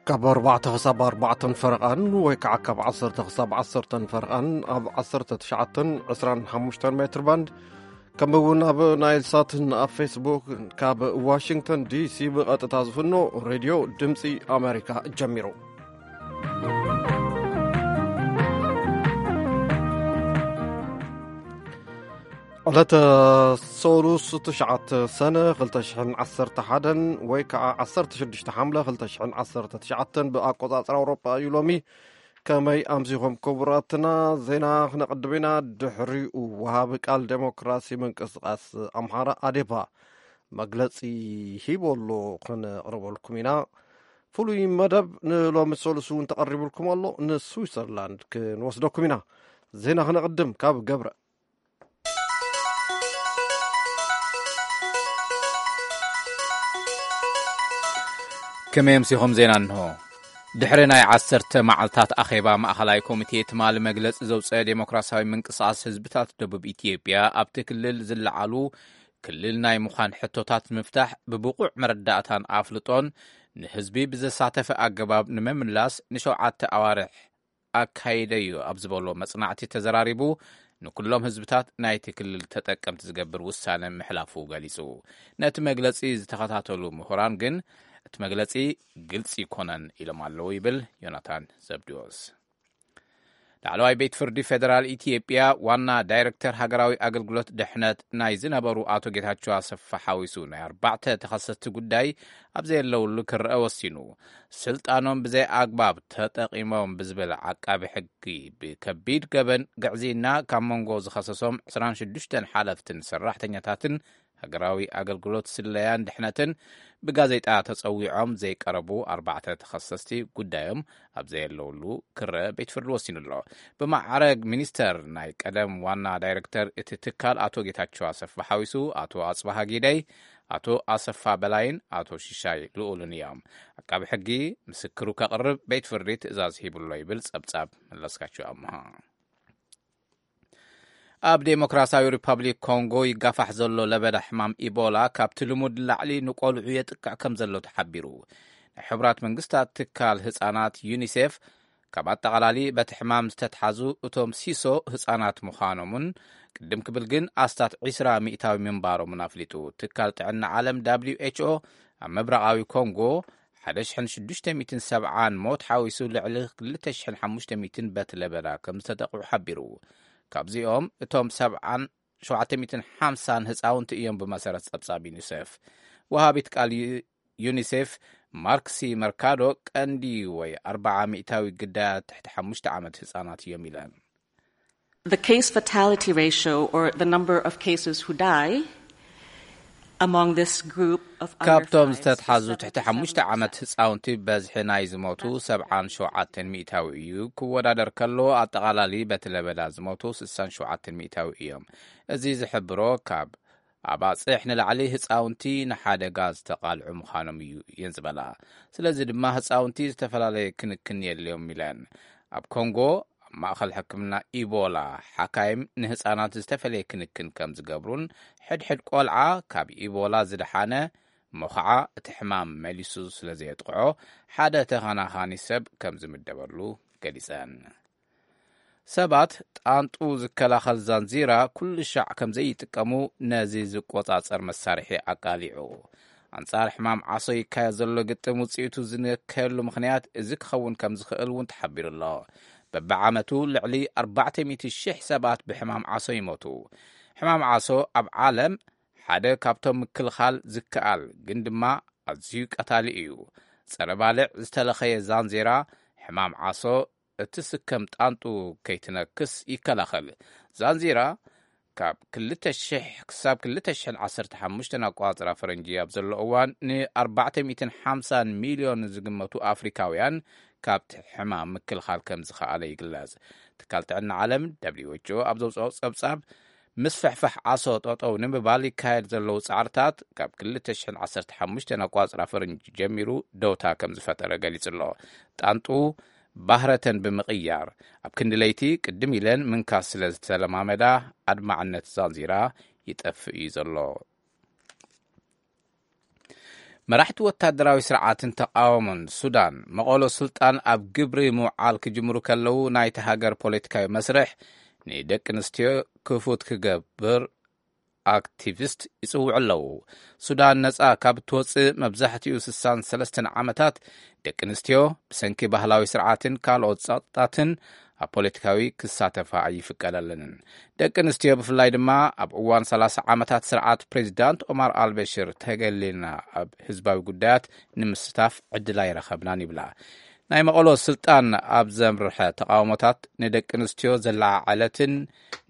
ካብ ኣርባዕተ ክሳብ ኣርባዕተን ፈረቓን ወይ ከዓ ካብ ዓሰርተ ክሳብ ዓሰርተን ፈረቓን ኣብ ዓሰርተ ትሽዓተን ዕስራን ሓሙሽተን ሜትር ባንድ፣ ከምኡ እውን ኣብ ናይል ሳትን ኣብ ፌስቡክ ካብ ዋሽንግተን ዲሲ ብቐጥታ ዝፍኖ ሬድዮ ድምፂ ኣሜሪካ ጀሚሩ። ዕለተ ሰሉስ ትሽዓተ ሰነ ክልተ ሽሕን ዓሰርተ ሓደን ወይ ከዓ ዓሰርተ ሽዱሽተ ሓምለ ክልተ ሽሕን ዓሰርተ ትሽዓተን ብኣቆጻጽራ ኣውሮጳ እዩ ሎሚ። ከመይ ኣምሲኹም ክቡራትና? ዜና ክነቕድም ኢና። ድሕሪኡ ወሃቢ ቃል ዴሞክራሲ ምንቅስቃስ ኣምሓራ ኣዴፓ መግለጺ ሂቡ ኣሎ፣ ክነቕርበልኩም ኢና። ፍሉይ መደብ ንሎሚ ሰሉስ እውን ተቐሪቡልኩም ኣሎ። ንስዊዘርላንድ ክንወስደኩም ኢና። ዜና ክነቕድም ካብ ገብረ። ከመይ ኣምሲኹም? ዜና እንሆ። ድሕሪ ናይ ዓሰርተ መዓልታት ኣኼባ ማእኸላይ ኮሚቴ ትማሊ መግለጺ ዘውፀአ ዴሞክራሲያዊ ምንቅስቃስ ህዝብታት ደቡብ ኢትዮጵያ ኣብቲ ክልል ዝለዓሉ ክልል ናይ ምዃን ሕቶታት ንምፍታሕ ብብቑዕ መረዳእታን ኣፍልጦን ንህዝቢ ብዘሳተፈ ኣገባብ ንምምላስ ንሸውዓተ ኣዋርሕ ኣካይደ እዩ ኣብ ዝበሎ መጽናዕቲ ተዘራሪቡ፣ ንኩሎም ህዝብታት ናይቲ ክልል ተጠቀምቲ ዝገብር ውሳነ ምሕላፉ ገሊጹ። ነቲ መግለጺ ዝተኸታተሉ ምሁራን ግን እቲ መግለጺ ግልጺ ይኮነን ኢሎም ኣለዉ ይብል ዮናታን ዘብድዮስ። ላዕለዋይ ቤት ፍርዲ ፌደራል ኢትዮጵያ ዋና ዳይሬክተር ሃገራዊ ኣገልግሎት ድሕነት ናይ ዝነበሩ ኣቶ ጌታቸው ኣሰፋ ሓዊሱ ናይ ኣርባዕተ ተኸሰስቲ ጉዳይ ኣብ ዘየለውሉ ክረአ ወሲኑ። ስልጣኖም ብዘይ ኣግባብ ተጠቒሞም ብዝብል ዓቃቢ ሕጊ ብከቢድ ገበን ግዕዝይና ካብ መንጎ ዝኸሰሶም ዕስራን ሽዱሽተን ሓለፍትን ሰራሕተኛታትን ሃገራዊ ኣገልግሎት ስለያን ድሕነትን ብጋዜጣ ተጸዊዖም ዘይቀረቡ ኣርባዕተ ተኸሰስቲ ጉዳዮም ኣብ ዘየለውሉ ክረአ ቤት ፍርዲ ወሲኑ ኣሎ። ብማዕረግ ሚኒስተር ናይ ቀደም ዋና ዳይሬክተር እቲ ትካል ኣቶ ጌታቸው ኣሰፋ ሓዊሱ ኣቶ ኣጽባሃ ጊደይ፣ ኣቶ ኣሰፋ በላይን ኣቶ ሽሻይ ልኡልን እዮም። ዓቃቢ ሕጊ ምስክሩ ከቕርብ ቤት ፍርዲ ትእዛዝ ሂብሎ ይብል ጸብጻብ መለስካቸው ኣምሃ። ኣብ ዴሞክራሲያዊ ሪፐብሊክ ኮንጎ ይጋፋሕ ዘሎ ለበዳ ሕማም ኢቦላ ካብቲ ልሙድ ንላዕሊ ንቆልዑ የጥቅዕ ከም ዘሎ ተሓቢሩ። ናይ ሕቡራት መንግስታት ትካል ህጻናት ዩኒሴፍ ካብ ኣጠቓላሊ በቲ ሕማም ዝተትሓዙ እቶም ሲሶ ህጻናት ምዃኖምን ቅድም ክብል ግን ኣስታት ዒስራ ሚእታዊ ምንባሮምን ኣፍሊጡ። ትካል ጥዕና ዓለም ደብሊው ኤች ኦ ኣብ ምብራቓዊ ኮንጎ ሓደ ሽሕን ሽዱሽተ ሚእትን ሰብዓን ሞት ሓዊሱ ልዕሊ ክልተ ሽሕን ሓሙሽተ ሚእትን በቲ ለበዳ ከም ዝተጠቕዑ ሓቢሩ። ካብዚኦም እቶም ሰብዓን ሸውዓተ ሚእትን ሓምሳን ህፃውንቲ እዮም ብመሰረት ፀብፃብ ዩኒሴፍ። ወሃቢት ቃል ዩ-፣ ዩኒሴፍ ማርክሲ መርካዶ ቀንዲ ወይ ኣርባዓ ሚእታዊ ግዳያት ትሕቲ ሓሙሽተ ዓመት ህፃናት እዮም ኢለን። The case fatality ratio, or the number of cases who die among this group of under ካብቶም five to ዝተትሓዙ ትሕቲ ሓሙሽተ ዓመት ህፃውንቲ በዝሒ ናይ ዝሞቱ ሰብዓን ሸውዓተን ሚእታዊ እዩ። ክወዳደር ከሎ ኣጠቓላሊ በቲ ለበዳ ዝሞቱ ስሳን ሸውዓተን ሚእታዊ እዮም። እዚ ዝሕብሮ ካብ ኣባፅሕ ንላዕሊ ህፃውንቲ ንሓደጋ ዝተቓልዑ ምዃኖም እዩ እየን ዝበላ። ስለዚ ድማ ህፃውንቲ ዝተፈላለየ ክንክን የድልዮም ኢለን። ኣብ ኮንጎ ኣብ ማእኸል ሕክምና ኢቦላ ሓካይም ንህፃናት ዝተፈለየ ክንክን ከም ዝገብሩን ሕድሕድ ቆልዓ ካብ ኢቦላ ዝደሓነ እሞ ኸዓ እቲ ሕማም መሊሱ ስለ ዘየጥቅዖ ሓደ ተኸናኻኒ ሰብ ከም ዝምደበሉ ገሊፀን። ሰባት ጣንጡ ዝከላኸል ዛንዚራ ኩሉ ሻዕ ከም ዘይጥቀሙ ነዚ ዝቆጻጸር መሳርሒ ኣቃሊዑ። ኣንጻር ሕማም ዓሶ ይካየድ ዘሎ ግጥም ውጽኢቱ ዝነከየሉ ምኽንያት እዚ ክኸውን ከም ዝኽእል እውን ተሓቢሩ ኣሎ። በብዓመቱ ልዕሊ ኣርባዕተ ሚእቲ ሽሕ ሰባት ብሕማም ዓሶ ይሞቱ። ሕማም ዓሶ ኣብ ዓለም ሓደ ካብቶም ምክልኻል ዝከኣል ግን ድማ ኣዝዩ ቀታሊ እዩ። ጸረ ባልዕ ዝተለኸየ ዛንዜራ ሕማም ዓሶ እትስከም ጣንጡ ከይትነክስ ይከላኸል። ዛንዚራ ካብ ክልተ ሽሕ ክሳብ ክልተ ሽሕን ዓሰርተ ሓሙሽተን ኣቆጻጽራ ፈረንጂ ኣብ ዘሎ እዋን ን ኣርባዕተ ሚእትን ሓምሳን ሚልዮን ዝግመቱ ኣፍሪካውያን ካብቲ ሕማም ምክልኻል ከም ዝኸኣለ ይግለጽ። ትካል ጥዕና ዓለም ደብሊው ኤች ኦ ኣብ ዘውፅኦ ጸብጻብ ምስፍሕፋሕ ዓሶ ጠጠው ንምባል ይካየድ ዘለዉ ጻዕርታት ካብ ክልተ ሽሕን ዓሰርተ ሓሙሽተን ኣቋጽራ ፈረንጂ ጀሚሩ ደውታ ከም ዝፈጠረ ገሊጹ ኣሎ። ጣንጡ ባህረተን ብምቕያር ኣብ ክንዲ ለይቲ ቅድም ኢለን ምንካስ ስለ ዝተለማመዳ ኣድማዕነት ዛንዚራ ይጠፍእ እዩ ዘሎ። መራሕቲ ወታደራዊ ስርዓትን ተቓወሞን ሱዳን፣ መቐሎ ስልጣን ኣብ ግብሪ ምውዓል ክጅምሩ ከለዉ፣ ናይቲ ሃገር ፖለቲካዊ መስርሕ ንደቂ ኣንስትዮ ክፉት ክገብር ኣክቲቪስት ይጽውዑ ኣለዉ። ሱዳን ነጻ ካብ እትወጽእ መብዛሕትኡ ስሳን ሰለስተን ዓመታት፣ ደቂ ኣንስትዮ ብሰንኪ ባህላዊ ስርዓትን ካልኦት ጸቕጣትን ኣብ ፖለቲካዊ ክሳተፋ ኣይፍቀደለንን። ደቂ ኣንስትዮ ብፍላይ ድማ ኣብ እዋን ሰላሳ ዓመታት ስርዓት ፕሬዚዳንት ኦማር ኣልበሽር ተገሊልና ኣብ ህዝባዊ ጉዳያት ንምስታፍ ዕድል ኣይረኸብናን ይብላ። ናይ መቐሎ ስልጣን ኣብ ዘምርሐ ተቓውሞታት ንደቂ ኣንስትዮ ዘለዓዓለትን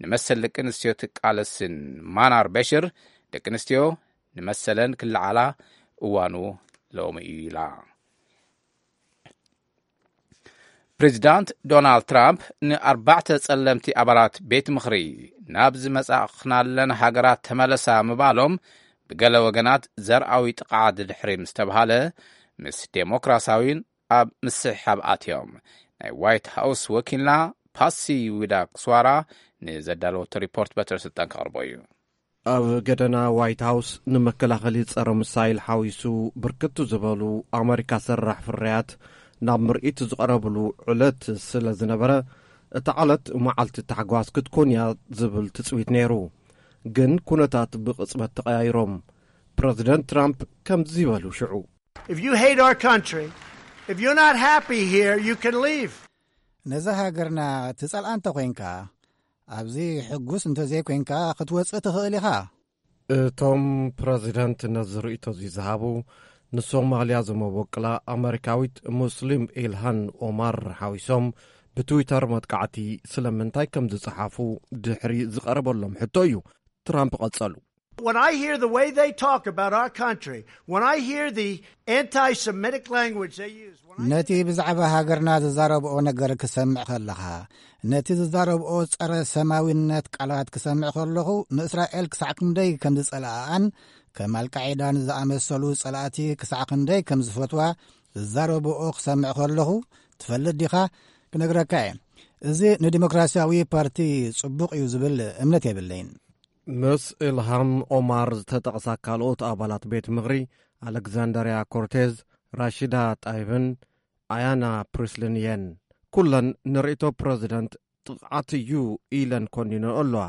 ንመሰል ደቂ ኣንስትዮ ትቃለስን ማናር በሽር፣ ደቂ ኣንስትዮ ንመሰለን ክለዓላ እዋኑ ሎሚ እዩ ኢላ። ፕሬዚዳንት ዶናልድ ትራምፕ ንኣርባዕተ ጸለምቲ ኣባላት ቤት ምኽሪ ናብ ዝመጻእኽናለን ሃገራት ተመለሳ ምባሎም ብገለ ወገናት ዘርኣዊ ጥቕዓት ድሕሪ ምስ ተብሃለ፣ ምስ ዴሞክራሲያዊን ኣብ ምስሕሓብ ኣትዮም። ናይ ዋይት ሃውስ ወኪልና ፓሲ ዊዳ ክስዋራ ንዘዳለወቶ ሪፖርት በትረ ስልጣን ከቕርቦ እዩ። ኣብ ገደና ዋይት ሃውስ ንመከላኸሊ ጸረ ሚሳይል ሓዊሱ ብርክት ዝበሉ ኣመሪካ ሰራሕ ፍርያት ናብ ምርኢት ዝቐረብሉ ዕለት ስለ ዝነበረ፣ እታ ዕለት መዓልቲ ታሕጓስ ክትኮን እያ ዝብል ትጽቢት ነይሩ። ግን ኩነታት ብቕጽበት ተቐያይሮም። ፕረዚደንት ትራምፕ ከምዚ በሉ ሽዑ። If you hate our country, if you're not happy here, you can leave. ነዛ ሃገርና ትጸልኣ እንተ ኾይንካ፣ ኣብዚ ሕጉስ እንተ ዘይኮይንካ ክትወጽእ ትኽእል ኢኻ። እቶም ፕረዚደንት ነዚ ርእይቶ እዚ ዝሃቡ፣ ንሶማልያ ዝመበቅላ ኣመሪካዊት ሙስሊም ኢልሃን ኦማር ሓዊሶም ብትዊተር መጥቃዕቲ ስለምንታይ ከም ዝጸሓፉ ድሕሪ ዝቐረበሎም ሕቶ እዩ። ትራምፕ ቀጸሉ። When I hear the way they talk about our country, when I hear the anti-Semitic language they use, when I ነቲ ብዛዕባ ሃገርና ዝዛረብኦ ነገር ክሰምዕ ከለኻ፣ ነቲ ዝዛረብኦ ጸረ ሰማዊነት ቃላት ክሰምዕ ከለኹ፣ ንእስራኤል ክሳዕ ክንደይ ከም ዝጸልኣኣን ከም ኣልቃዒዳን ዝኣመሰሉ ጸላእቲ ክሳዕ ክንደይ ከም ዝፈትዋ ዝዛረብኦ ክሰምዕ ከለኹ፣ ትፈልጥ ዲኻ? ክነግረካ እየ። እዚ ንዲሞክራሲያዊ ፓርቲ ጽቡቕ እዩ ዝብል እምነት የብለይን። ምስ ኢልሃም ኦማር ዝተጠቕሳ ካልኦት ኣባላት ቤት ምኽሪ፣ ኣሌክዛንደርያ ኮርቴዝ፣ ራሺዳ ጣይብን ኣያና ፕሪስልን እየን። ኩለን ንርእይቶ ፕረዚደንት ጥቕዓት እዩ ኢለን ኮኒነኦ ኣለዋ።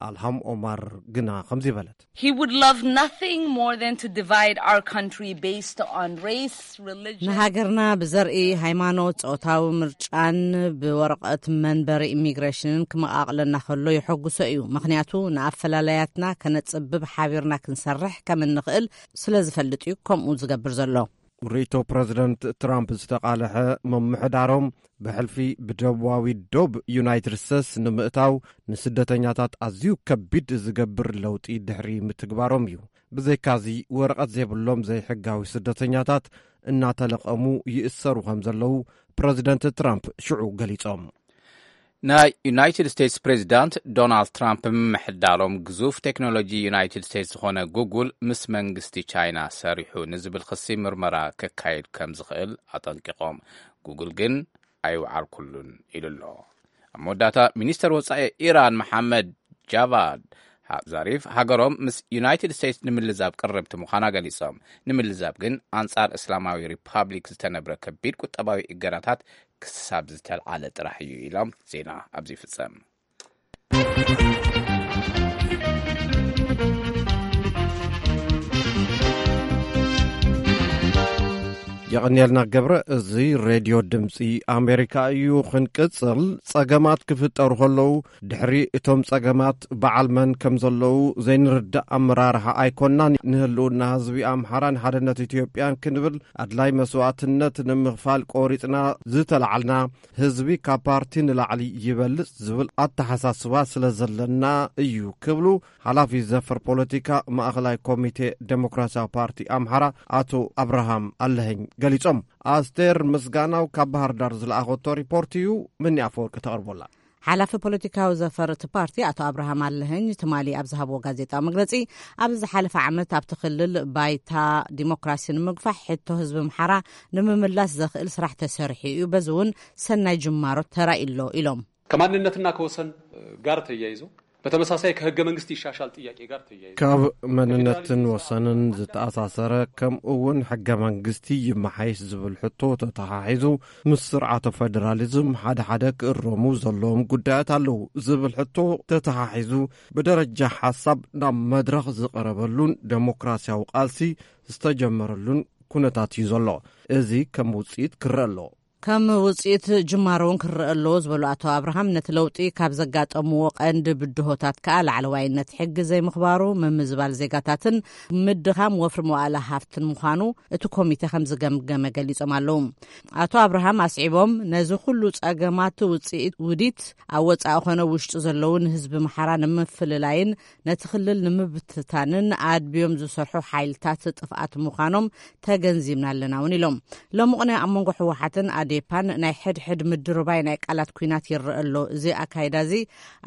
ኣልሃም ኦማር ግና ከምዚ በለት። He would love nothing more than to divide our country based on race, religion. ንሃገርና ብዘርኢ፣ ሃይማኖት፣ ጾታዊ ምርጫን ብወረቐት መንበሪ ኢሚግሬሽንን ክመቓቕለና ከሎ የሐጉሶ እዩ። ምኽንያቱ ንኣፈላላያትና ከነጽብብ ሓቢርና ክንሰርሕ ከም እንኽእል ስለ ዝፈልጥ እዩ ከምኡ ዝገብር ዘሎ። ርእይቶ ፕረዚደንት ትራምፕ ዝተቓልሐ፣ ምምሕዳሮም ብሕልፊ ብደቡባዊ ዶብ ዩናይትድ ስቴትስ ንምእታው ንስደተኛታት ኣዝዩ ከቢድ ዝገብር ለውጢ ድሕሪ ምትግባሮም እዩ። ብዘይካዚ፣ ወረቐት ዘይብሎም ዘይሕጋዊ ስደተኛታት እናተለቐሙ ይእሰሩ ከም ዘለዉ ፕረዚደንት ትራምፕ ሽዑ ገሊጾም። ናይ ዩናይትድ ስቴትስ ፕሬዚዳንት ዶናልድ ትራምፕ ምምሕዳሮም ግዙፍ ቴክኖሎጂ ዩናይትድ ስቴትስ ዝኾነ ጉጉል ምስ መንግስቲ ቻይና ሰሪሑ ንዝብል ክሲ ምርመራ ከካይድ ከም ዝኽእል ኣጠንቂቖም። ጉጉል ግን ኣይወዓልኩሉን ኢሉ ኣሎ። ኣብ መወዳእታ፣ ሚኒስተር ወጻኢ ኢራን መሓመድ ጃቫድ ዛሪፍ ሃገሮም ምስ ዩናይትድ ስቴትስ ንምልዛብ ቅርብቲ ምዃና ገሊጾም። ንምልዛብ ግን ኣንጻር እስላማዊ ሪፓብሊክ ዝተነብረ ከቢድ ቁጠባዊ እገዳታት ክሳብ ዝተልዓለ ጥራሕ እዩ ኢሎም። ዜና ኣብዚ ይፍጸም። የቐንየልና ገብረ። እዚ ሬድዮ ድምፂ ኣሜሪካ እዩ። ክንቅፅል፣ ፀገማት ክፍጠሩ ከለዉ ድሕሪ እቶም ፀገማት በዓል መን ከም ዘለዉ ዘይንርዳእ ኣመራርሓ ኣይኮናን። ንህልውና ህዝቢ ኣምሓራን ሓድነት ኢትዮጵያን ክንብል ኣድላይ መስዋእትነት ንምኽፋል ቆሪፅና ዝተላዓልና፣ ህዝቢ ካብ ፓርቲ ንላዕሊ ይበልፅ ዝብል ኣተሓሳስባ ስለ ዘለና እዩ ክብሉ ሓላፊ ዘፈር ፖለቲካ ማእኸላይ ኮሚቴ ዴሞክራሲያዊ ፓርቲ ኣምሓራ ኣቶ ኣብርሃም ኣለኸኝ ገሊፆም። ኣስቴር ምስጋናው ካብ ባህር ዳር ዝለኣኸቶ ሪፖርት እዩ፣ ምኒ ኣፈወርቂ ተቕርቦላ። ሓላፊ ፖለቲካዊ ዘፈር እቲ ፓርቲ ኣቶ ኣብርሃም ኣለኸኝ ትማሊ ኣብ ዝሃብዎ ጋዜጣዊ መግለፂ፣ ኣብዚ ዝሓለፈ ዓመት ኣብቲ ክልል ባይታ ዲሞክራሲ ንምግፋሕ ሕቶ ህዝቢ ኣምሓራ ንምምላስ ዘኽእል ስራሕ ተሰሪሑ እዩ፣ በዚ እውን ሰናይ ጅማሮ ተራእዩ ኣሎ ኢሎም። ከማንነትና ከወሰን ጋር ተያይዞ በተመሳሳይ ከህገ መንግስት ይሻሻል ጥያቄ ጋር ተያይዞ ካብ መንነትን ወሰንን ዝተኣሳሰረ፣ ከምኡ እውን ሕገ መንግስቲ ይመሓይሽ ዝብል ሕቶ ተተሓሒዙ፣ ምስ ስርዓተ ፌደራሊዝም ሓደ ሓደ ክእረሙ ዘለዎም ጉዳያት ኣለዉ ዝብል ሕቶ ተተሓሒዙ፣ ብደረጃ ሓሳብ ናብ መድረኽ ዝቐረበሉን ደሞክራሲያዊ ቃልሲ ዝተጀመረሉን ኩነታት እዩ ዘሎ። እዚ ከም ውፅኢት ክረአ ኣሎ። ከም ውፅኢት ጅማሮ እውን ክረአ ኣለዎ ዝበሉ ኣቶ ኣብርሃም፣ ነቲ ለውጢ ካብ ዘጋጠምዎ ቀንዲ ብድሆታት ከኣ ላዕለዋይነት ሕጊ ዘይምኽባሩ፣ ምምዝባል ዜጋታትን ምድኻም ወፍሪ መዋእለ ሃፍትን ምዃኑ እቲ ኮሚቴ ከም ዝገምገመ ገሊጾም ኣለዉ። ኣቶ ኣብርሃም ኣስዒቦም፣ ነዚ ኩሉ ጸገማት ውፅኢት ውዲት ኣብ ወጻኢ ኮነ ውሽጢ ዘለዉ ንህዝቢ ምሓራ ንምፍልላይን ነቲ ክልል ንምብትታንን ኣድብዮም ዝሰርሑ ሓይልታት ጥፍኣት ምዃኖም ተገንዚብና ኣለና እውን ኢሎም። ሎሚ ቅነ ኣብ መንጎ ህወሓትን ኣዴፓን ናይ ሕድሕድ ምድርባይ ናይ ቃላት ኲናት ይረአ ኣሎ። እዚ ኣካይዳ እዚ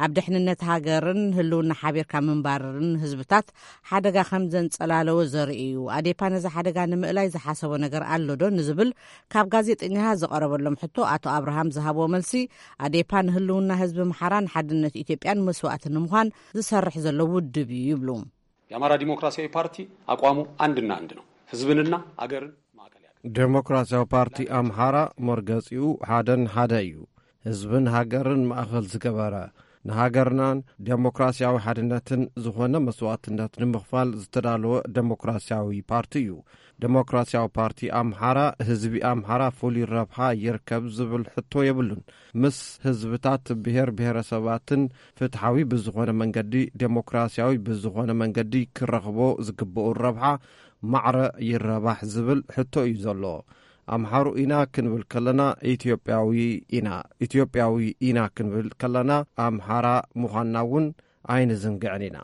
ኣብ ድሕንነት ሃገርን ህልውና ሓቢርካ ምንባርን ህዝብታት ሓደጋ ከም ዘንጸላለወ ዘርኢ እዩ። ኣዴፓ ነዚ ሓደጋ ንምእላይ ዝሓሰቦ ነገር ኣሎ ዶ ንዝብል ካብ ጋዜጠኛታት ዝቐረበሎም ሕቶ ኣቶ ኣብርሃም ዝሃብዎ መልሲ፣ ኣዴፓ ንህልውና ህዝቢ ምሓራን ሓድነት ኢትዮጵያን መስዋእቲ ንምዃን ዝሰርሕ ዘሎ ውድብ እዩ ይብሉ። የአማራ ዲሞክራሲያዊ ፓርቲ አቋሙ አንድና አንድ ነው። ህዝብንና አገርን ማዕከል ያደረገ። ዴሞክራሲያዊ ፓርቲ ኣምሓራ መርገጺኡ ሓደን ሓደ እዩ። ህዝብን ሃገርን ማእኸል ዝገበረ፣ ንሃገርናን ዴሞክራሲያዊ ሓድነትን ዝኾነ መስዋእትነት ንምኽፋል ዝተዳለወ ዴሞክራሲያዊ ፓርቲ እዩ። ዴሞክራሲያዊ ፓርቲ ኣምሓራ፣ ህዝቢ ኣምሓራ ፍሉይ ረብሓ ይርከብ ዝብል ሕቶ የብሉን። ምስ ህዝብታት ብሄር ብሄረሰባትን ፍትሓዊ ብዝኾነ መንገዲ፣ ዴሞክራሲያዊ ብዝኾነ መንገዲ ክረኽቦ ዝግብኡ ረብሓ ማዕረ ይረባሕ ዝብል ሕቶ እዩ ዘሎ። ኣምሓሩ ኢና ክንብል ከለና ኢትዮጵያዊ ኢና፣ ኢትዮጵያዊ ኢና ክንብል ከለና ኣምሓራ ምዃንና እውን ኣይንዝንግዕን ኢና።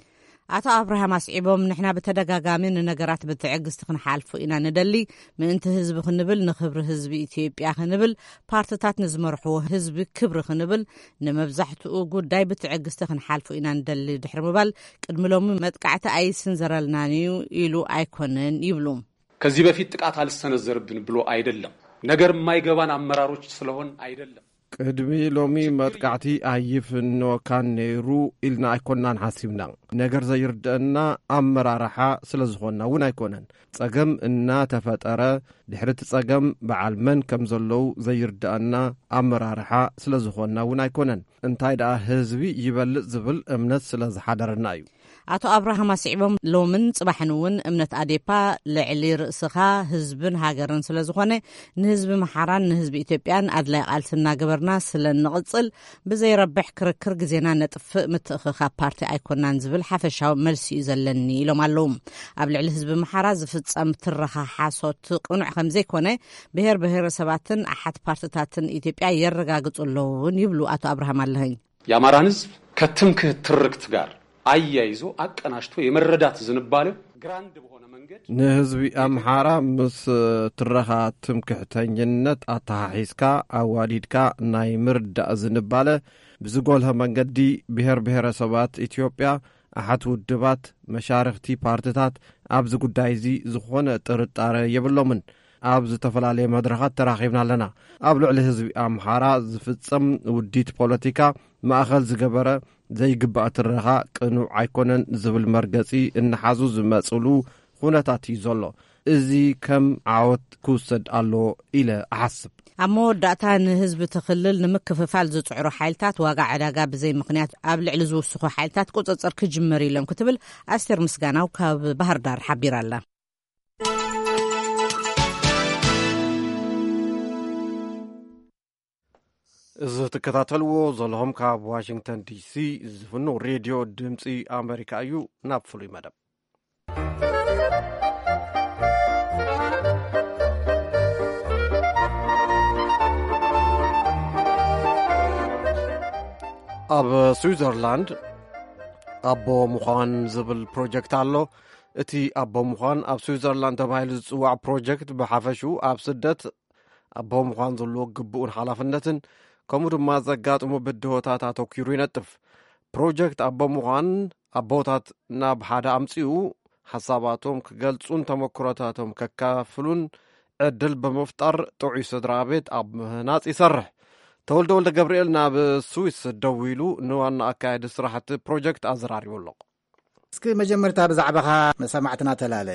ኣቶ ኣብርሃም ኣስዒቦም፣ ንሕና ብተደጋጋሚ ንነገራት ብትዕግስቲ ክንሓልፎ ኢና ንደሊ። ምእንቲ ህዝቢ ክንብል፣ ንክብሪ ህዝቢ ኢትዮጵያ ክንብል፣ ፓርትታት ንዝመርሕዎ ህዝቢ ክብሪ ክንብል፣ ንመብዛሕትኡ ጉዳይ ብትዕግስቲ ክንሓልፎ ኢና ንደሊ ድሕሪ ምባል፣ ቅድሚ ሎሚ መጥቃዕቲ ኣይስንዘረልናን እዩ ኢሉ ኣይኮነን ይብሉ። ከዚህ በፊት ጥቃት አልሰነዘርብን ብሎ አይደለም፣ ነገር የማይገባን አመራሮች ስለሆን አይደለም። ቅድሚ ሎሚ መጥቃዕቲ ኣይፍንወካን ነይሩ ኢልና ኣይኮናን ሓሲብና። ነገር ዘይርድአና ኣመራርሓ ስለ ዝኾንና እውን ኣይኮነን። ጸገም እናተፈጠረ፣ ድሕሪ እቲ ጸገም በዓል መን ከም ዘለዉ ዘይርድኣና ኣመራርሓ ስለ ዝኾንና እውን ኣይኮነን። እንታይ ደኣ ህዝቢ ይበልጽ ዝብል እምነት ስለ ዝሓደረና እዩ። ኣቶ ኣብርሃም ኣስዒቦም፣ ሎምን ጽባሕን እውን እምነት ኣዴፓ ልዕሊ ርእስኻ ህዝብን ሃገርን ስለ ዝኾነ፣ ንህዝቢ ምሓራን ንህዝቢ ኢትዮጵያን ኣድላይ ቃልሲ እናገበርና ስለ እንቕጽል፣ ብዘይረብሕ ክርክር ግዜና ነጥፍእ ምትእኽኻብ ፓርቲ ኣይኮናን ዝብል ሓፈሻዊ መልሲ እዩ ዘለኒ ኢሎም ኣለዉ። ኣብ ልዕሊ ህዝቢ ምሓራ ዝፍጸም ትረኻ ሓሶት ቅኑዕ ከም ዘይኮነ፣ ብሄር ብሄረሰባትን ኣሓት ፓርትታትን ኢትዮጵያ የረጋግጹ ኣለዉ እውን ይብሉ ኣቶ ኣብርሃም ኣለኸኝ። የአማራን ህዝብ ከትምክህት ትርክት ጋር አያይዞ አቀናጅቶ የመረዳት ዝንባሌው ግራንድ በሆነ መንገድ ንህዝቢ ኣምሓራ ምስ ትረኻ ትምክሕተኝነት ኣተሓሒዝካ ኣዋዲድካ ናይ ምርዳእ ዝንባለ ብዝጎልሀ መንገዲ ብሄር ብሄረሰባት ኢትዮጵያ ኣሓት ውድባት መሻርኽቲ ፓርትታት ኣብዚ ጉዳይ እዚ ዝኾነ ጥርጣረ የብሎምን። ኣብ ዝተፈላለየ መድረኻት ተራኺብና ኣለና። ኣብ ልዕሊ ህዝቢ ኣምሓራ ዝፍጸም ውዲት ፖለቲካ ማእኸል ዝገበረ ዘይግባእ ትረኻ ቅኑዕ ኣይኮነን ዝብል መርገጺ እናሓዙ ዝመጽሉ ኩነታት እዩ ዘሎ። እዚ ከም ዓወት ክውሰድ ኣለዎ ኢለ እሓስብ። ኣብ መወዳእታ ንህዝቢ እቲ ክልል ንምክፍፋል ዝጽዕሩ ሓይልታት ዋጋ ዕዳጋ ብዘይ ምኽንያት ኣብ ልዕሊ ዝውስኹ ሓይልታት ቁጽጽር ክጅመር ኢሎም ክትብል ኣስቴር ምስጋናው ካብ ባህር ዳር ሓቢራ ኣላ። እዚ ትከታተልዎ ዘለኹም ካብ ዋሽንግተን ዲሲ ዝፍኖ ሬድዮ ድምፂ ኣሜሪካ እዩ። ናብ ፍሉይ መደብ። ኣብ ስዊዘርላንድ ኣቦ ምዃን ዝብል ፕሮጀክት ኣሎ። እቲ ኣቦ ምዃን ኣብ ስዊዘርላንድ ተባሂሉ ዝጽዋዕ ፕሮጀክት ብሓፈሽኡ ኣብ ስደት ኣቦ ምዃን ዘለዎ ግቡእን ሓላፍነትን ከምኡ ድማ ዘጋጥሙ ብድሆታት ኣተኲሩ ይነጥፍ። ፕሮጀክት ኣቦ ምዃን ኣቦታት ናብ ሓደ ኣምጺኡ ሓሳባቶም ክገልጹን ተመክሮታቶም ከካፍሉን ዕድል ብምፍጣር ጥዑይ ስድራ ቤት ኣብ ምህናጽ ይሰርሕ። ተወልደ ወልደ ገብርኤል ናብ ስዊስ ደዊሉ ንዋና ኣካየዲ ስራሕቲ ፕሮጀክት ኣዘራሪቡ ኣሎ። እስኪ መጀመርታ ብዛዕባኻ ንሰማዕትና ተላለ።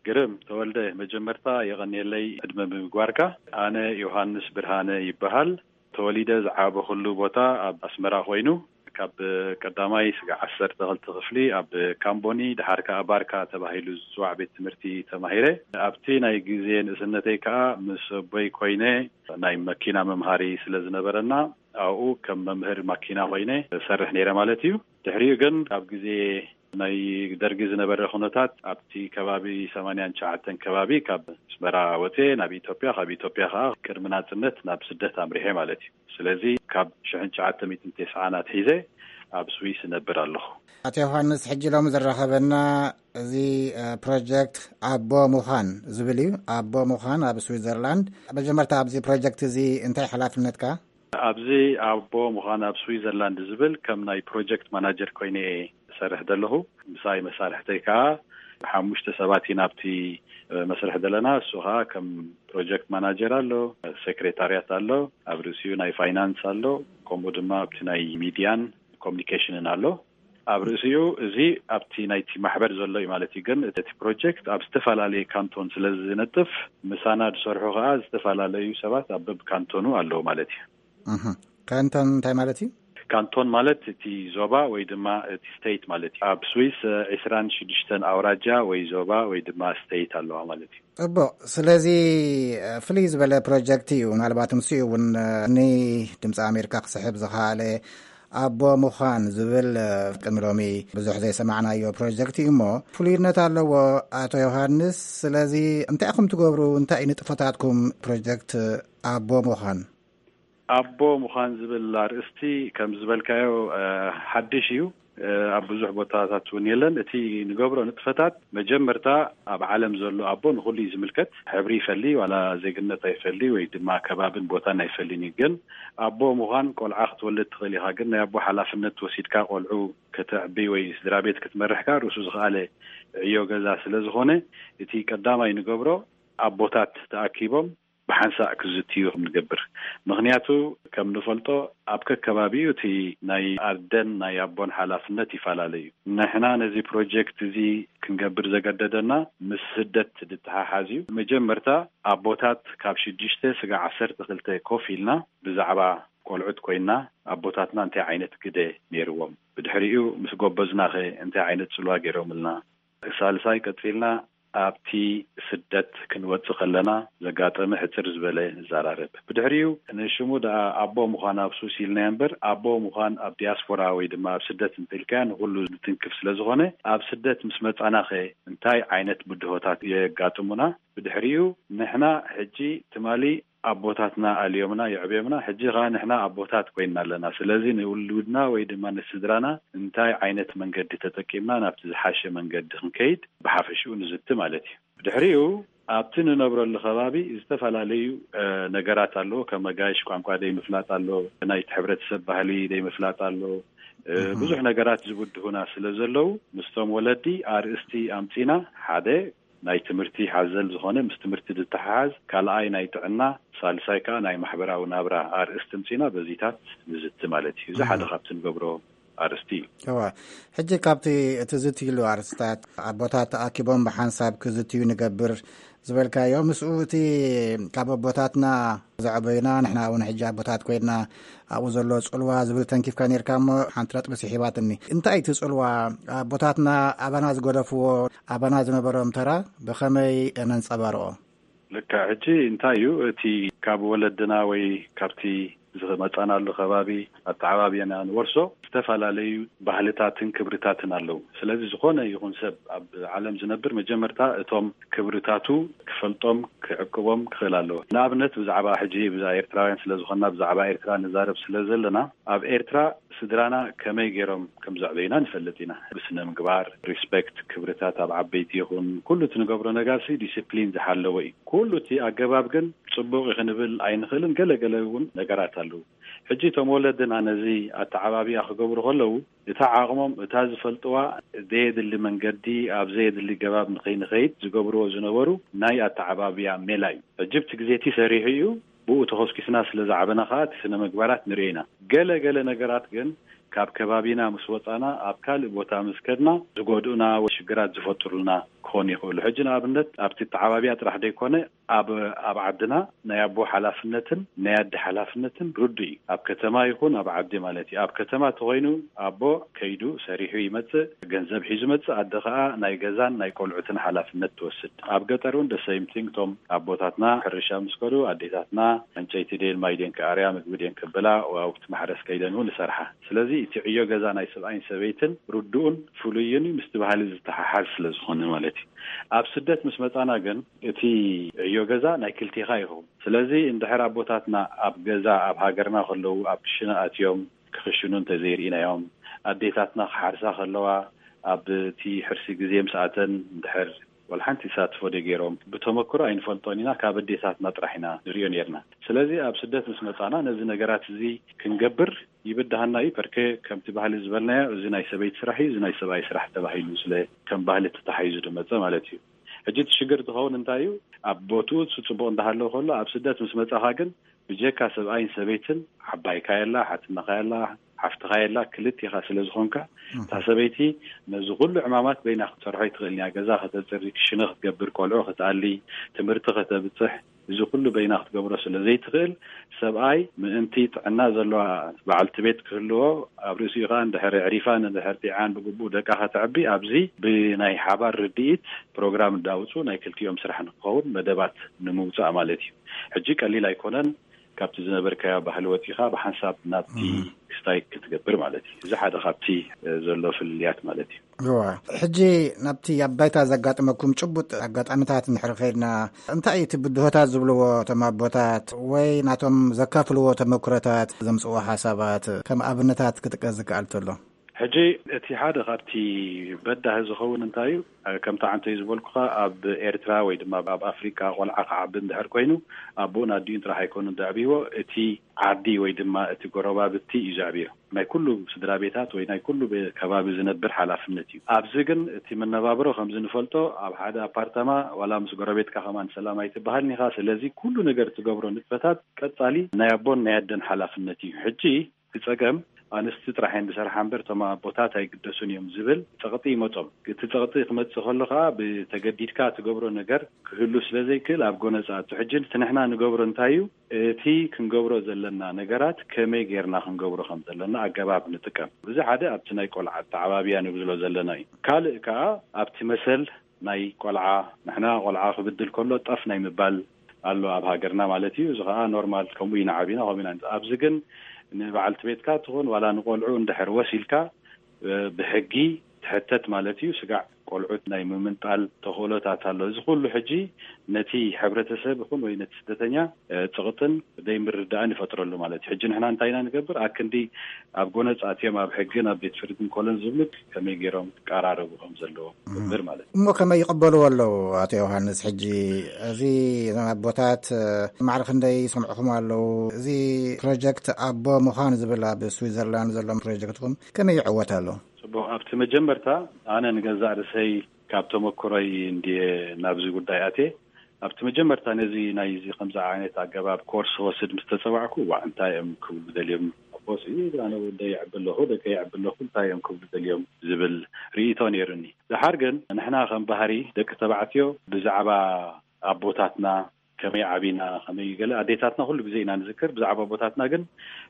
ግርም ተወልደ፣ መጀመርታ የቐንየለይ ዕድመ ብምግባርካ። ኣነ ዮሃንስ ብርሃነ ይበሃል። ተወሊደ ዝዓበኹሉ ቦታ ኣብ ኣስመራ ኮይኑ፣ ካብ ቀዳማይ ስጋዕ ዓሰርተ ክልተ ክፍሊ ኣብ ካምቦኒ፣ ድሓር ከኣ ባርካ ተባሂሉ ዝጽዋዕ ቤት ትምህርቲ ተማሂረ። ኣብቲ ናይ ግዜ ንእስነተይ ከኣ ምስ ኣቦይ ኮይነ፣ ናይ መኪና መምሃሪ ስለ ዝነበረና፣ ኣብኡ ከም መምህር ማኪና ኮይነ ሰርሕ ነይረ ማለት እዩ። ድሕሪኡ ግን ኣብ ግዜ ናይ ደርጊ ዝነበረ ኩነታት፣ ኣብቲ ከባቢ ሰማንያን ትሽዓተን ከባቢ ካብ ኣስመራ ወፅየ ናብ ኢትዮጵያ፣ ካብ ኢትዮጵያ ከዓ ቅድሚ ናፅነት ናብ ስደት ኣምሪሐ ማለት እዩ። ስለዚ ካብ ሽሕን ትሽዓተ ሚእትን ተስዓን ኣትሒዘ ኣብ ስዊስ እነብር ኣለኹ። ኣቶ ዮሃንስ፣ ሕጂ ሎሚ ዘራኸበና እዚ ፕሮጀክት ኣቦ ምዃን ዝብል እዩ። ኣቦ ምዃን ኣብ ስዊዘርላንድ። መጀመርታ ኣብዚ ፕሮጀክት እዚ እንታይ ሓላፍነትካ? ኣብዚ ኣቦ ምዃን ኣብ ስዊዘርላንድ ዝብል ከም ናይ ፕሮጀክት ማናጀር ኮይነ እየ ዝሰርሕ ዘለኹ። ምሳይ መሳርሕተይ ከዓ ሓሙሽተ ሰባት ኢና ኣብቲ መስርሕ ዘለና። እሱ ከዓ ከም ፕሮጀክት ማናጀር ኣሎ፣ ሴክሬታርያት ኣሎ፣ ኣብ ርእሲኡ ናይ ፋይናንስ ኣሎ፣ ከምኡ ድማ ኣብቲ ናይ ሚድያን ኮሚኒኬሽንን ኣሎ። ኣብ ርእሲኡ እዚ ኣብቲ ናይቲ ማሕበር ዘሎ እዩ ማለት እዩ። ግን እቲ ፕሮጀክት ኣብ ዝተፈላለየ ካንቶን ስለ ዝነጥፍ፣ ምሳና ዝሰርሑ ከዓ ዝተፈላለዩ ሰባት ኣብ በብካንቶኑ ኣለዉ ማለት እዩ። እህ፣ ካንቶን እንታይ ማለት እዩ? ካንቶን ማለት እቲ ዞባ ወይ ድማ እቲ ስቴት ማለት እዩ። ኣብ ስዊስ ዒስራን ሽዱሽተን ኣውራጃ ወይ ዞባ ወይ ድማ ስቴት ኣለዋ ማለት እዩ። ጽቡቕ። ስለዚ ፍልይ ዝበለ ፕሮጀክት እዩ። ምናልባት ንሱ እውን ንድምፂ ኣሜሪካ ክስሕብ ዝኸኣለ ኣቦ ምዃን ዝብል ቅድሚ ሎሚ ብዙሕ ዘይሰማዕናዮ ፕሮጀክት እዩ እሞ ፍሉይነት ኣለዎ። ኣቶ ዮሃንስ፣ ስለዚ እንታይ ኢኹም ትገብሩ? እንታይ እዩ ንጥፈታትኩም ፕሮጀክት ኣቦ ምዃን? ኣቦ ምዃን ዝብል ኣርእስቲ ከም ዝበልካዮ፣ እ፣ ሓድሽ እዩ። እ፣ ኣብ ብዙሕ ቦታታት እውን የለን። እቲ ንገብሮ ንጥፈታት መጀመርታ ኣብ ዓለም ዘሎ ኣቦ ንኹሉ እዩ ዝምልከት። ሕብሪ ይፈሊ፣ ዋላ ዜግነት ኣይፈሊ ወይ ድማ ከባብን ቦታን ኣይፈልን እዩ። ግን ኣቦ ምዃን ቆልዓ ክትወልድ ትኽእል ኢኻ። ግን ናይ ኣቦ ሓላፍነት ወሲድካ ቆልዑ ከተዕቢ ወይ ስድራ ቤት ክትመርሕ ከኣ ርእሱ ዝኸኣለ ዕዮ ገዛ ስለ ዝኾነ፣ እቲ ቀዳማይ ንገብሮ ኣቦታት ተኣኪቦም ብሓንሳእ ክዝትዩ ከም ንገብር። ምኽንያቱ ከም ንፈልጦ ኣብ ከከባቢኡ እቲ ናይ ኣደን ናይ ኣቦን ሓላፍነት ይፈላለ እዩ። ንሕና ነዚ ፕሮጀክት እዚ ክንገብር ዘገደደና ምስ ስደት ዝተሓሓዝ እዩ። መጀመርታ ኣቦታት ካብ ሽዱሽተ ስጋዕ ዓሰርተ ክልተ ኮፍ ኢልና ብዛዕባ ቆልዑት ኮይና ኣቦታትና እንታይ ዓይነት ግደ ነይርዎም፣ ብድሕሪኡ ምስ ጎበዝናኸ እንታይ ዓይነት ጽልዋ ገይሮምልና፣ ሳልሳይ ቀጺልና ኣብቲ ስደት ክንወጽእ ከለና ዘጋጠመ ሕጽር ዝበለ ንዘራረብ። ብድሕሪኡ ንሽሙ ደኣ ኣቦ ምዃን ኣብ ሱስ ኢልናዮ እምበር፣ ኣቦ ምዃን ኣብ ዲያስፖራ ወይ ድማ ኣብ ስደት እንተኢልካዮ ንኹሉ ዝትንክፍ ስለ ዝኾነ፣ ኣብ ስደት ምስ መጻናኸ እንታይ ዓይነት ብድሆታት የጋጥሙና? ብድሕሪኡ ንሕና ሕጂ ትማሊ ኣቦታትና ኣልዮምና የዕብዮምና፣ ሕጂ ኸኣ ንሕና ኣቦታት ኮይንና ኣለና። ስለዚ ንውሉድና ወይ ድማ ንስድራና እንታይ ዓይነት መንገዲ ተጠቂምና ናብቲ ዝሓሸ መንገዲ ክንከይድ ብሓፈሽኡ ንዝቲ ማለት እዩ። ብድሕሪኡ ኣብቲ ንነብረሉ ከባቢ ዝተፈላለዩ፣ እ፣ ነገራት ኣለዎ። ከም ኣጋይሽ ቋንቋ ዘይምፍላጥ ኣሎ፣ ናይቲ ሕብረተሰብ ባህሊ ዘይምፍላጥ ኣሎ። እ፣ እህ። ብዙሕ ነገራት ዝብድሁና ስለ ዘለዉ ምስቶም ወለዲ ኣርእስቲ ኣምጺና ሓደ ናይ ትምህርቲ ሓዘል ዝኾነ ምስ ትምህርቲ ዝተሓሓዝ፣ ካልኣይ ናይ ጥዕና፣ ሳልሳይ ከኣ ናይ ማሕበራዊ ናብራ ኣርእስቲ ምጺና በዚታት ንዝቲ ማለት እዩ። እዚ ሓደ እህ። ካብቲ ንገብሮ ኣርእስቲ እዩ። እወ፣ ሕጂ ካብቲ እቲ ዝትይሉ ኣርእስታት ኣቦታት ተኣኪቦም ብሓንሳብ ክዝትዩ ንገብር ዝበልካዮ፣ ምስኡ እቲ ካብ ኣቦታትና ዘዕበዩና፣ ንሕና እውን ሕጂ ኣቦታት ኮይንና ኣብኡ ዘሎ ጽልዋ ዝብል ተንኪፍካ ነርካ እሞ ሓንቲ ነጥቢ ስሒባትኒ። እንታይ እቲ ጽልዋ ኣቦታትና ኣባና ዝገደፍዎ፣ ኣባና ዝነበሮም ተራ ብኸመይ ነንጸባርቖ? ልክዕ። ሕጂ እንታይ እዩ እቲ ካብ ወለድና ወይ ካብቲ ዝመጻናሉ ከባቢ ኣተዓባብያና ንወርሶ ዝተፈላለዩ ባህልታትን ክብርታትን ኣለዉ። ስለዚ ዝኾነ ይኹን ሰብ ኣብ ዓለም ዝነብር መጀመርታ እቶም ክብርታቱ ክፈልጦም ክዕቅቦም ክኽእል ኣለዎ። ንኣብነት ብዛዕባ ሕጂ ብዛ ኤርትራውያን ስለ ዝኾንና ብዛዕባ ኤርትራ ንዛረብ ስለ ዘለና ኣብ ኤርትራ ስድራና ከመይ ገይሮም ከም ዘዕበዩና ንፈልጥ ኢና። ብስነ ምግባር፣ ሪስፔክት፣ ክብርታት ኣብ ዓበይቲ ይኹን ኩሉ እቲ ንገብሮ ነገርሲ ዲስፕሊን ዝሓለወ እዩ። ኩሉ እቲ ኣገባብ ግን ጽቡቕ እዩ ክንብል ኣይንኽእልን። ገለ ገለ እውን ነገራት ኣለዉ። ሕጂ እቶም ወለድና ነዚ ኣተዓባብያ ክገብሩ ከለዉ እታ ዓቕሞም እታ ዝፈልጥዋ ዘየድሊ መንገዲ ኣብ ዘየድሊ ገባብ ንኸይንኸይድ ዝገብርዎ ዝነበሩ ናይ ኣተዓባብያ ሜላ እዩ። ሕጂ ብቲ ግዜ እቲ ሰሪሑ እዩ። ብኡ ተኾስኪስና ስለ ዝዓበና ከኣ እቲ ስነ ምግባራት ንርኢ ኢና። ገለ ገለ ነገራት ግን ካብ ከባቢና ምስ ወጻና ኣብ ካልእ ቦታ ምስ ከድና ዝጎድኡና ወይ ሽግራት ዝፈጥሩልና ክኾኑ ይኽእሉ። ሕጂ ንኣብነት ኣብቲ ተዓባቢያ ጥራሕ ደይኮነ ኣብ ኣብ ዓድና ናይ ኣቦ ሓላፍነትን ናይ ኣዲ ሓላፍነትን ርዱእ እዩ። ኣብ ከተማ ይኹን ኣብ ዓዲ ማለት እዩ። ኣብ ከተማ ተኾይኑ ኣቦ ከይዱ ሰሪሑ ይመጽእ፣ ገንዘብ ሒዙ መጽእ፣ ኣደ ኸኣ ናይ ገዛን ናይ ቆልዑትን ሓላፍነት ትወስድ። ኣብ ገጠር እውን ደሰይምቲንግ እቶም ኣቦታትና ሕርሻ ምስ ከዱ ኣዴታትና ዕንጨይቲ ድየን ማይ ድየን ክኣርያ ምግቢ ድየን ክብላ ኣብቲ ማሕረስ ከይደን እውን ይሰርሓ። ስለዚ እቲ ዕዮ ገዛ ናይ ሰብኣይን ሰበይትን ርዱእን ፍሉይን ምስቲ ባህሊ ዝተሓሓዝ ስለ ዝኾነ ማለት እዩ። ኣብ ስደት ምስ መጻና ግን እቲ ዕዮ ገዛ ናይ ክልቴኻ ይኸውን። ስለዚ እንድሕር ኣቦታትና ኣብ ገዛ ኣብ ሃገርና ከለዉ ኣብ ክሽነ ኣትዮም ክኽሽኑ እንተዘይርኢናዮም፣ ኣዴታትና ክሓርሳ ከለዋ ኣብቲ ሕርሲ ግዜ ምስ ኣተን እንድሕር ወላ ሓንቲ ይሳትፎ ዶ ገይሮም ብተመክሮ ኣይንፈልጦን ኢና። ካብ ኣዴታትና ጥራሕ ኢና ንሪኦ ነርና። ስለዚ ኣብ ስደት ምስ መጻና ነዚ ነገራት እዚ ክንገብር ይብድሃና እዩ። ፐርኬ ከምቲ ባህሊ ዝበልናዮ እዚ ናይ ሰበይቲ ስራሕ እዩ፣ እዚ ናይ ሰብኣይ ስራሕ ተባሂሉ ስለ ከም ባህሊ ተታሒዙ ዝመጸ ማለት እዩ። ሕጂ እቲ ሽግር ዝኸውን እንታይ እዩ? ኣብ ቦትኡ እሱ ጽቡቕ እንዳሃለወ ከሎ ኣብ ስደት ምስ መጻኻ ግን ብጀካ ሰብኣይን ሰበይትን ዓባይካ የላ፣ ሓትነኻ የላ፣ ሓፍትኻ የላ፣ ክልቲኻ ስለ ዝኾንካ እታ ሰበይቲ ነዚ ኩሉ ዕማማት በይና ክትሰርሖ ኣይትኽእልን እያ። ገዛ ከተጽሪ፣ ክሽነ ክትገብር፣ ቆልዑ ክትኣሊ፣ ትምህርቲ ከተብጽሕ፣ እዚ ኩሉ በይና ክትገብሮ ስለ ዘይትኽእል ሰብኣይ ምእንቲ ጥዕና ዘለዋ በዓልቲ ቤት ክህልዎ ኣብ ርእሲኡ ከኣ እንድሕር ኣዕሪፋን እንድሕር ጢዓን ብግቡእ ደቃ ከተዕቢ ኣብዚ ብናይ ሓባር ርድኢት ፕሮግራም እንዳውጹ ናይ ክልቲኦም ስራሕ ንክኸውን መደባት ንምውጻእ ማለት እዩ። ሕጂ ቀሊል ኣይኮነን። ካብቲ ዝነበርካዮ ባህሊ ወጺኻ ብሓንሳብ ናብቲ ክስታይ ክትገብር ማለት እዩ። እዚ ሓደ ካብቲ ዘሎ ፍልልያት ማለት እዩ። እዋ፣ ሕጂ ናብቲ ኣብ ባይታ ዘጋጠመኩም ጭቡጥ ኣጋጣሚታት እንድሕር ከይድና፣ እንታይ እዩ እቲ ብድሆታት ዝብልዎ እቶም ኣቦታት ወይ ናቶም ዘካፍልዎ ተመክሮታት ዘምጽዎ ሓሳባት ከም ኣብነታት ክጥቀስ ዝከኣል ተሎ? ሕጂ እቲ ሓደ ካብቲ በዳሂ ዝኸውን እንታይ እዩ? ከምቲ ዓንተይ ዝበልኩኻ ኣብ ኤርትራ ወይ ድማ ኣብ ኣፍሪካ ቆልዓ ክዓቢ እንድሕር ኮይኑ ኣቦኡን ኣዲኡን ጥራሕ ኣይኮኑን ዘዕብይዎ፣ እቲ ዓዲ ወይ ድማ እቲ ጎረባብቲ እዩ ዘዕብዮ። ናይ ኩሉ ስድራ ቤታት ወይ ናይ ኩሉ ቤ- ከባቢ ዝነብር ሓላፍነት እዩ። ኣብዚ ግን እቲ መነባብሮ ከምዚ ንፈልጦ ኣብ ሓደ ኣፓርታማ ዋላ ምስ ጎረቤትካ ከማን ሰላም ኣይትበሃልን ኢኻ። ስለዚ ኩሉ ነገር ትገብሮ ንጥፈታት ቀጻሊ ናይ ኣቦን ናይ ኣደን ሓላፍነት እዩ። ሕጂ እቲ ጸገም ኣንስቲ ጥራሕ እየን ዝሰርሓ እምበር እቶም ኣቦታት ኣይግደሱን እዮም ዝብል ጸቕጢ ይመጾም። እቲ ጸቕጢ ክመጽእ ከሎ ከኣ ብተገዲድካ ትገብሮ ነገር ክህሉ ስለ ዘይክእል ኣብ ጎነጻ እቱ ሕጂ እቲ ንሕና ንገብሮ እንታይ እዩ? እቲ ክንገብሮ ዘለና ነገራት ከመይ ጌርና ክንገብሮ ከም ዘለና ኣገባብ ንጥቀም። እዚ ሓደ ኣብቲ ናይ ቆልዓ ኣተዓባብያ ንብሎ ዘለና እዩ። ካልእ ከኣ ኣብቲ መሰል ናይ ቆልዓ፣ ንሕና ቆልዓ ክብድል ከሎ ጠፍ ናይ ምባል ኣሎ ኣብ ሃገርና ማለት እዩ። እዚ ከኣ ኖርማል፣ ከምኡ ኢና ዓቢና፣ ከምኡ ኢና። ኣብዚ ግን ንበዓልቲ ቤትካ ትኹን ዋላ ንቆልዑ እንድሕር ወሲልካ ብሕጊ ትሕተት ማለት እዩ። ስጋዕ ቆልዑት ናይ ምምንጣል ተኽእሎታት ኣሎ። እዚ ኩሉ ሕጂ ነቲ ሕብረተሰብ ይኹን ወይ ነቲ ስደተኛ ጽቕጥን ዘይምርዳእን ይፈጥረሉ ማለት እዩ። ሕጂ ንሕና እንታይ ኢና ንገብር? ኣክንዲ ኣብ ጎነጽ ኣትዮም ኣብ ሕግን ኣብ ቤት ፍርድን ኮሎን ዝብሉ ከመይ ገይሮም ክቀራረቡ ከም ዘለዎ ንገብር ማለት እዩ። እሞ ከመይ ይቕበልዎ ኣለዉ? ኣቶ ዮሃንስ፣ ሕጂ እዚ ኣቦታት ማዕረ ክንደይ ይሰምዕኹም ኣለዉ? እዚ ፕሮጀክት ኣቦ ምዃን ዝብል ኣብ ስዊዘርላንድ ዘሎ ፕሮጀክትኩም ከመይ ይዕወት ኣሎ? ጽቡቕ። ኣብቲ መጀመርታ ኣነ ንገዛእ ርእሰይ ካብ ተመክሮይ እንድየ ናብዚ ጉዳይ ኣትየ። ኣብቲ መጀመርታ ነዚ ናይዚ ከምዚ ዓይነት ኣገባብ ኮርስ ክወስድ ምስ ተጸዋዕኩ፣ ዋዕ እንታይ እዮም ክብሉ ደልዮም ኣቦስ፣ ኣነ ወደይ የዕቢ ኣለኹ፣ ደቀይ የዕቢ ኣለኹ፣ እንታይ እዮም ክብሉ ደልዮም ዝብል ርእይቶ ነይሩኒ። ደሓር ግን ንሕና ከም ባህሪ ደቂ ተባዕትዮ ብዛዕባ ኣቦታትና ከመይ ዓቢና፣ ከመይ ገለ ኣዴታትና ኩሉ ግዜ ኢና ንዝክር፣ ብዛዕባ ኣቦታትና ግን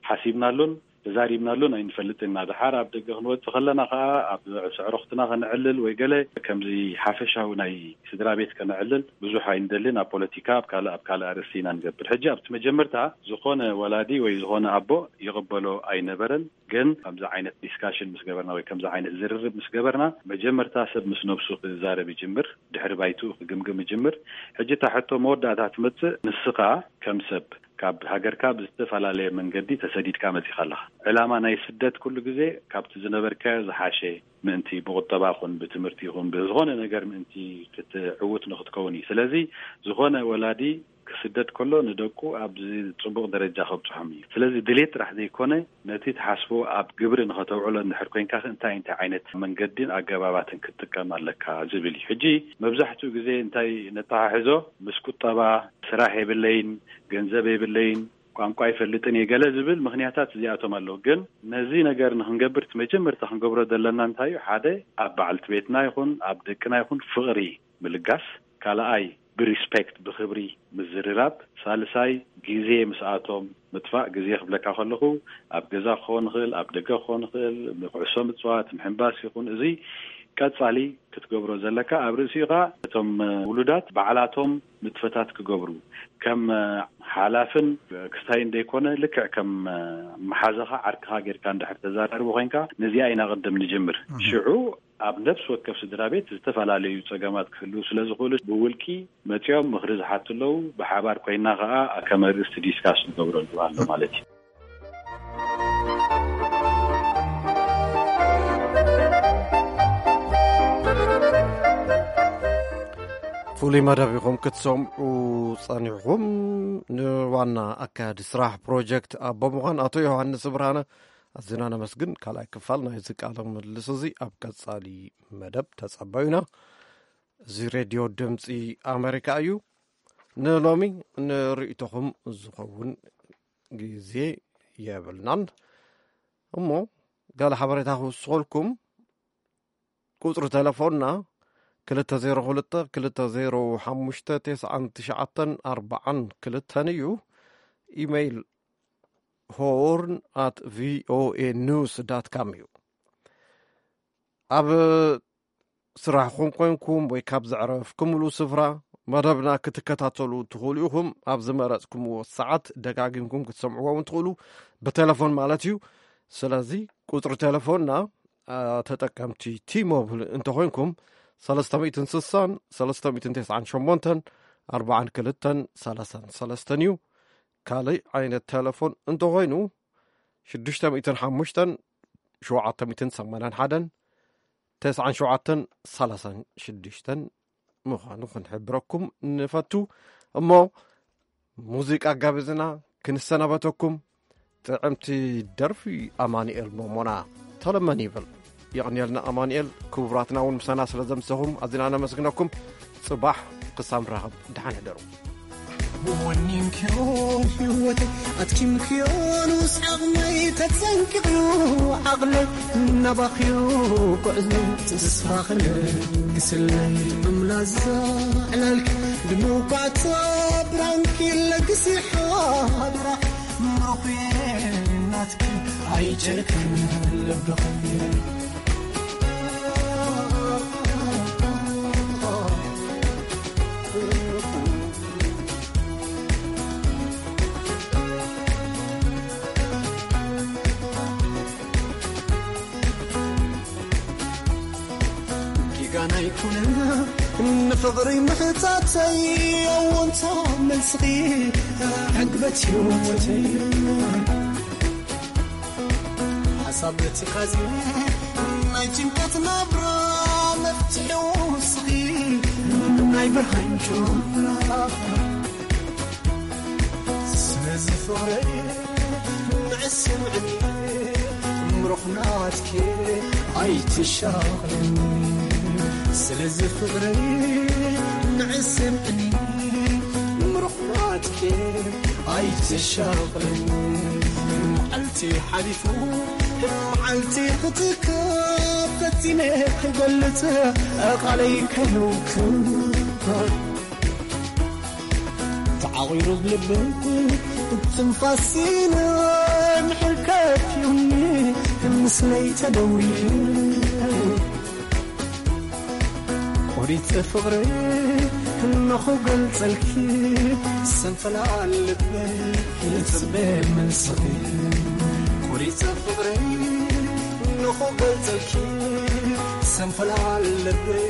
ሓሲብናሉን ተዛሪብናሉን ኣይንፈልጥን ኢና። ደሓር ኣብ ደገ ክንወጽእ ከለና ከኣ ኣብ ኣዕሩኽትና ከነዕልል ወይ ገለ ከምዚ ሓፈሻዊ ናይ ስድራ ቤት ከነዕልል ብዙሕ ኣይንደልን። ኣብ ፖለቲካ ኣብ ካልእ ኣብ ካልእ ኣርእስቲ ኢና ንገብር። ሕጂ ኣብቲ መጀመርታ ዝኾነ ወላዲ ወይ ዝኾነ ኣቦ ይቕበሎ ኣይነበረን። ግን ከምዚ ዓይነት ዲስካሽን ምስ ገበርና ወይ ከምዚ ዓይነት ዝርርብ ምስ ገበርና መጀመርታ ሰብ ምስ ነብሱ ክዛረብ ይጅምር፣ ድሕሪ ባይትኡ ክግምግም ይጅምር። ሕጂ እታ ሕቶ መወዳእታ ትመጽእ ንስኻ ከም ሰብ ካብ ሃገርካ ብዝተፈላለየ መንገዲ ተሰዲድካ መጺኻ ኣለኻ። ዕላማ ናይ ስደት ኩሉ ግዜ ካብቲ ዝነበርካዮ ዝሓሸ ምእንቲ ብቁጠባ ይኹን ብትምህርቲ ይኹን ብዝኾነ ነገር ምእንቲ ክትዕውት ንክትከውን እዩ። ስለዚ ዝኾነ ወላዲ ክስደድ ከሎ ንደቁ ኣብዚ ጽቡቕ ደረጃ ከብጽሖም እዩ። ስለዚ ድሌት ጥራሕ ዘይኮነ፣ ነቲ ትሓስቦ ኣብ ግብሪ ንኸተውዕሎ እንድሕር ኮይንካ፣ እንታይ እንታይ ዓይነት መንገድን ኣገባባትን ክትጥቀም ኣለካ ዝብል እዩ። ሕጂ መብዛሕትኡ ግዜ እንታይ ነተሓሕዞ፣ ምስ ቁጠባ፣ ስራሕ የብለይን፣ ገንዘብ የብለይን፣ ቋንቋ ይፈልጥን እየ፣ ገለ ዝብል ምኽንያታት እዚኣቶም ኣለዉ። ግን ነዚ ነገር ንኽንገብር እቲ መጀመርታ ክንገብሮ ዘለና እንታይ እዩ? ሓደ፣ ኣብ በዓልቲ ቤትና ይኹን ኣብ ደቅና ይኹን ፍቕሪ ምልጋስ፣ ካልኣይ ብሪስፔክት፣ ብኽብሪ ምዝርራብ፣ ሳልሳይ ግዜ ምስኣቶም ምጥፋእ። ግዜ ክብለካ ከለኹ ኣብ ገዛ ክኸውን ይኽእል፣ ኣብ ደገ ክኸውን ይኽእል፣ ኩዕሶ ምጽዋት፣ ምሕንባስ ይኹን፣ እዚ ቀጻሊ ክትገብሮ ዘለካ። ኣብ ርእሲኡ ኸኣ እቶም ውሉዳት ባዕላቶም ንጥፈታት ክገብሩ፣ ከም ሓላፍን ክስታይን ዘይኮነ፣ ልክዕ ከም መሓዛኻ ዓርክኻ ጌርካ እንድሕር ተዘራርቦ ኮይንካ፣ ነዚኣ ኢና ቅድም ንጅምር። ሽዑ ኣብ ነፍሲ ወከፍ ስድራ ቤት ዝተፈላለዩ ጸገማት ክህልዉ ስለ ዝኽእሉ፣ ብውልቂ መጺኦም ምኽሪ ዝሓቱ ኣለዉ፣ ብሓባር ኮይና ከኣ ከም ኣርእስቲ ዲስካስ ንገብረሉ ኣሎ ማለት እዩ። ፍሉይ መደብ ኢኹም ክትሰምዑ ጸኒሕኹም። ንዋና ኣካያዲ ስራሕ ፕሮጀክት ኣቦ ምዃን ኣቶ ዮሃንስ ብርሃነ ኣዝና ነመስግን። ካልኣይ ክፋል ናይዚ ቃለ ምልልስ እዚ ኣብ ቀጻሊ መደብ ተጸበዩና። እዚ ሬድዮ ድምጺ ኣመሪካ እዩ። ንሎሚ ንርእይቶኹም ዝኸውን ግዜ የብልናን። እሞ ገለ ሓበሬታ ክውስኸልኩም። ቁጽሪ ተለፎንና ክልተ ዜሮ ክልተ ክልተ ዜሮ ሓሙሽተ ተስዓን ትሽዓተን ኣርባዓን ክልተን እዩ። ኢሜይል ሆርን ኣት ቪኦኤ ኒውስ ዳት ካም እዩ። ኣብ ስራሕኹም ኮንኩም ወይ ካብ ዘዕረፍኩምሉ ስፍራ መደብና ክትከታተሉ ትኽእሉ ኢኹም። ኣብ ዝመረጽኩምዎ ሰዓት ደጋጊምኩም ክትሰምዕዎ እውን ትኽእሉ፣ ብቴሌፎን ማለት እዩ። ስለዚ ቁጽሪ ቴሌፎንና፣ አ፣ ተጠቀምቲ ቲ-ሞብል እንተኾይንኩም፣ ሰለስተ ሚእትን ስሳን ሰለስተ ሚእትን ተስዓን ሸሞንተን ኣርባዓን ክልተን ሰላሳን ሰለስተን እዩ። ካልእ ዓይነት ቴሌፎን እንተኾይኑ፣ ሽዱሽተ ሚእትን ሓሙሽተን ሸውዓተ ሚእትን ሰማንያን ሓደን ተስዓን ሸውዓተን ሰላሳን ሽዱሽተን ምዃኑ ክንሕብረኩም ንፈቱ። እሞ ሙዚቃ ጋብዝና ክንሰናበተኩም። ጥዕምቲ ደርፊ ኣማኑኤል ሞሞና ተለመን ይብል። የቕንየልና ኣማኑኤል፣ ክቡራትና እውን ምሳና ስለ ዘምሰኹም ኣዚና ነመስግነኩም። ጽባሕ ክሳብ ንራኸብ ደሓን ሕደሩ። ወኒንክዮ ህይወት ኣትኪምክዮ ንስ ዓቕመይ ተጸንቅቕዮ ዓቕለይ እናባኽዮ ጉዕዞ ተስፋ ክለ ግስለይ እምላዛ ዕላልኪ ድመውቃዕታ ብራንኪ ለግሲ ሓድራ ምሩኽየ ናትኪ ኣይጨክን ልብኺ። ጌጋና ኣይኮነን ንፍቕሪ ምሕታተይ ኣወንታ መልስኺ ዕግበት ህይወተይ ሓሳብ ትካዜ ናይ ጭንቀት ናብራ መፍትሒ ውስኺ ናይ ብርሃን ጩራ ስለዚ ፍቕረይ ንዕስምዕኒ ምሩኽ ናትኪ ኣይትሻቕልኒ ስለዚ ፍቕረይ ንዕስምዕኒ ምሩኽ ናትኪ ኣይትሻቕልኒ መዓልቲ ሓሊፉ መዓልቲ ክትከብ ፈቲነ ክገልጽ ቃለይ ከይውክል ተዓቒሩ ብልበይ ትንፋሲን ምሕልከት ዩኒ ምስለይ ተደውሪ ቆሪጸ ፍቕረይ እንኹ ገልጸልኪ ሰንፈላ ልበይ ይጽበ መልስኺ ቆሪጸ ፍቕረይ እንኹ ገልጸልኪ ሰንፈላ ልበይ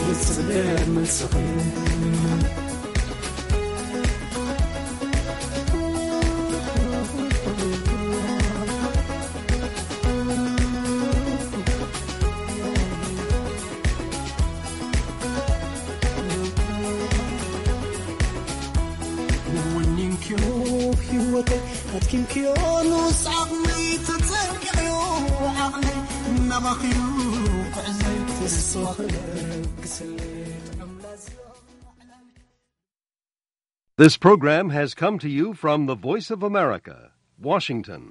ይጽበ መልስኺ ኪንክዮኑስ ዓቕሊ ተጸጊዑ ዓቕሊ እናባኺኑ ክዕዘብ ተስፋ ክለግስል ጥዑም ላዛ This program has come to you from the Voice of America, Washington.